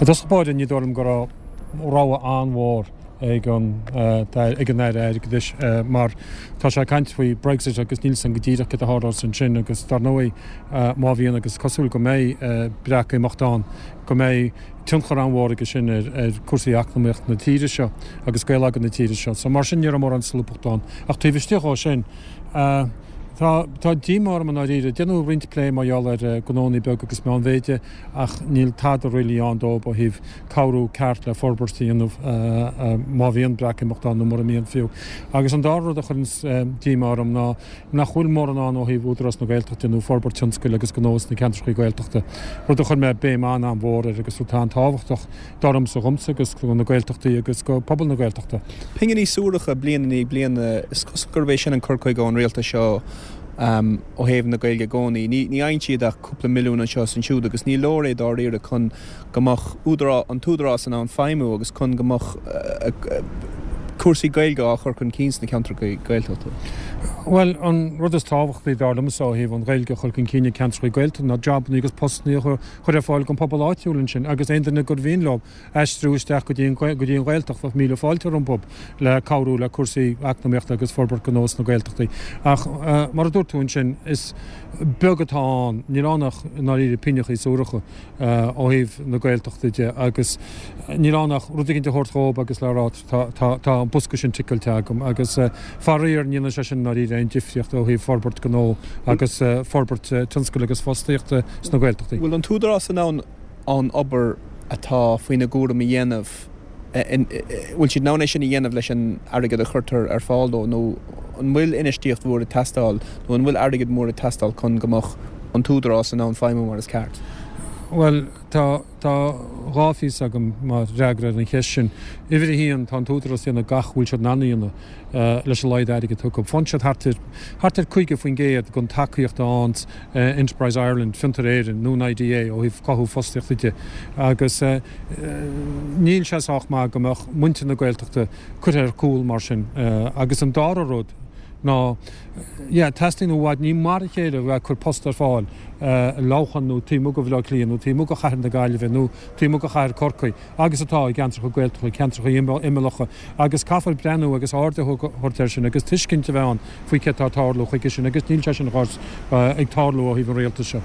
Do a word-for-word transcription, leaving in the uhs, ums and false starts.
I dtosach báire ní dóigh liom go raibh rogha an-mhór ag an ag an Aire Airgeadais mar tá sé ag caint faoi Brexit agus níl a fhios againn go díreach céard a tharlós ansin agus dar ndóigh má bhíonn agus cosúil go mbeidh Breatimeacht ann go mbeidh tionchar an-mhór aige sin ar ar cúrsaí eacnamaíocht na tíre seo agus geilleagar na tíre seo. So mar sin ní raibh mórán solúbthacht ann. Ach taobh istigh dhó sin Tá tá díomá orm i ndáiríre. Déanadh roinnt plé mar gheall ar gnónnaí beag agus meánmhéide ach níl tada really ann dóibh ó thaobh cabhrú ceart le forbairt a dhéanamh má bhíonn Breatimeacht ann nó mura mbíonn fiú. Agus an dara rud a chuireanns díomá orm ná nach bhfuil mórán ann ó thaobh Údarás na Gaeltachta nó forbairt tionscail agus gnó sna ceantracha Gaeltachta, rud a chuir mé béim an-an-mhór air agus rud atá an-tábhachtach dar liomsa dhomsa agus do na Gaeltachtaí agus go pobal na Gaeltachta. Pinginí suaracha bliain i ndiaidh bliana, is cosúil gurb é sin an cur chuige ón rialtas seo ó thaobh na Gaeilge i gcónaí. Ní fhaigheann siad ach cúpla milliún anseo is ansiúd agus ní leor é dáiríre chun go mbeadh an tÚdarás in ann feidhmiú agus chun go mbeadh cúrsaí Gaeilge á chur chun cinn sna ceantracha Gaeltachta. Bhuel, an rud is tábhachtaí dar liomsa ó thaobh an Ghaeilge a chur chun cinn i gceantracha Gaeltachta ná jabanna agus postanna a chur ar fáil don phobal áitiúil ansin agus aon duine gur mhian leo aistriú isteach go dtí an go dtí an Ghaeltacht bheadh míle fáilte rompu le cabhrú le cúrsaí eacnamaíochta agus forbairt gnó sna Gaeltachtaí. Ach mar a dúirt tú ansin, is beag atá ann, níl ann ach i ndáiríre pingineacha suaracha ó thaobh na Gaeltachta de agus níl ann ach rud éigin a thabhairt dhóibh agus le rá tá tá tá an bosca sin ticeáilte agam agus faraor ní dhéanann sé sin i ndáiríre aon difríocht ó thaobh forbairt gnó agus forbairt tionscail agus fostaíochta sna Gaeltachtaí. Bhfuil an tÚdarás in ann an obair atá faoina gcúram a dhéanamh, bhfuil siad in ann é sin a dhéanamh leis an airgead a chuirtear ar fáil dó nó an bhfuil infheistíocht mhór ag teastáil nó an bhfuil airgead mór ag teastáil chun go mbeadh an tÚdarás in ann feidhmiú mar is ceart? Bhuel, tá tá dhá phíosa agam mar fhreagra ar an cheist sin. Uimhir a haon, tá an tÚdarás ag déanamh gach a bhfuil siad in ann a dhéanamh leis an laghad airgid atá acu. Faigheann siad thart ar thart ar caoga faoin gcéad den tacaíocht a fhaigheann Enterprise Ireland, Fiontar Éireann nó an IDA ó thaobh cothú fostaíochta de agus níl sé sách maith go mbeadh muintir na Gaeltachta curtha ar cúl mar sin. Agus an dara rud ná, yeah, teastaíonn i bhfad, ní mar a chéile a bheith ag cur post ar fáil i Leamhcán nó taobh amuigh de Bhaile Átha Cliath nó taobh amuigh de chathair na Gaillimhe nó taobh amuigh de chathair Chorcaí agus atá i gceantracha Gaeltachta, ceantracha imeallacha agus caithfear breathnú agus aird a thabhairt air sin agus tuiscint a bheith ann faoi céard atá ag tarlú chuige sin agus níl sé sin ag tarlú ó thaobh an rialtais seo.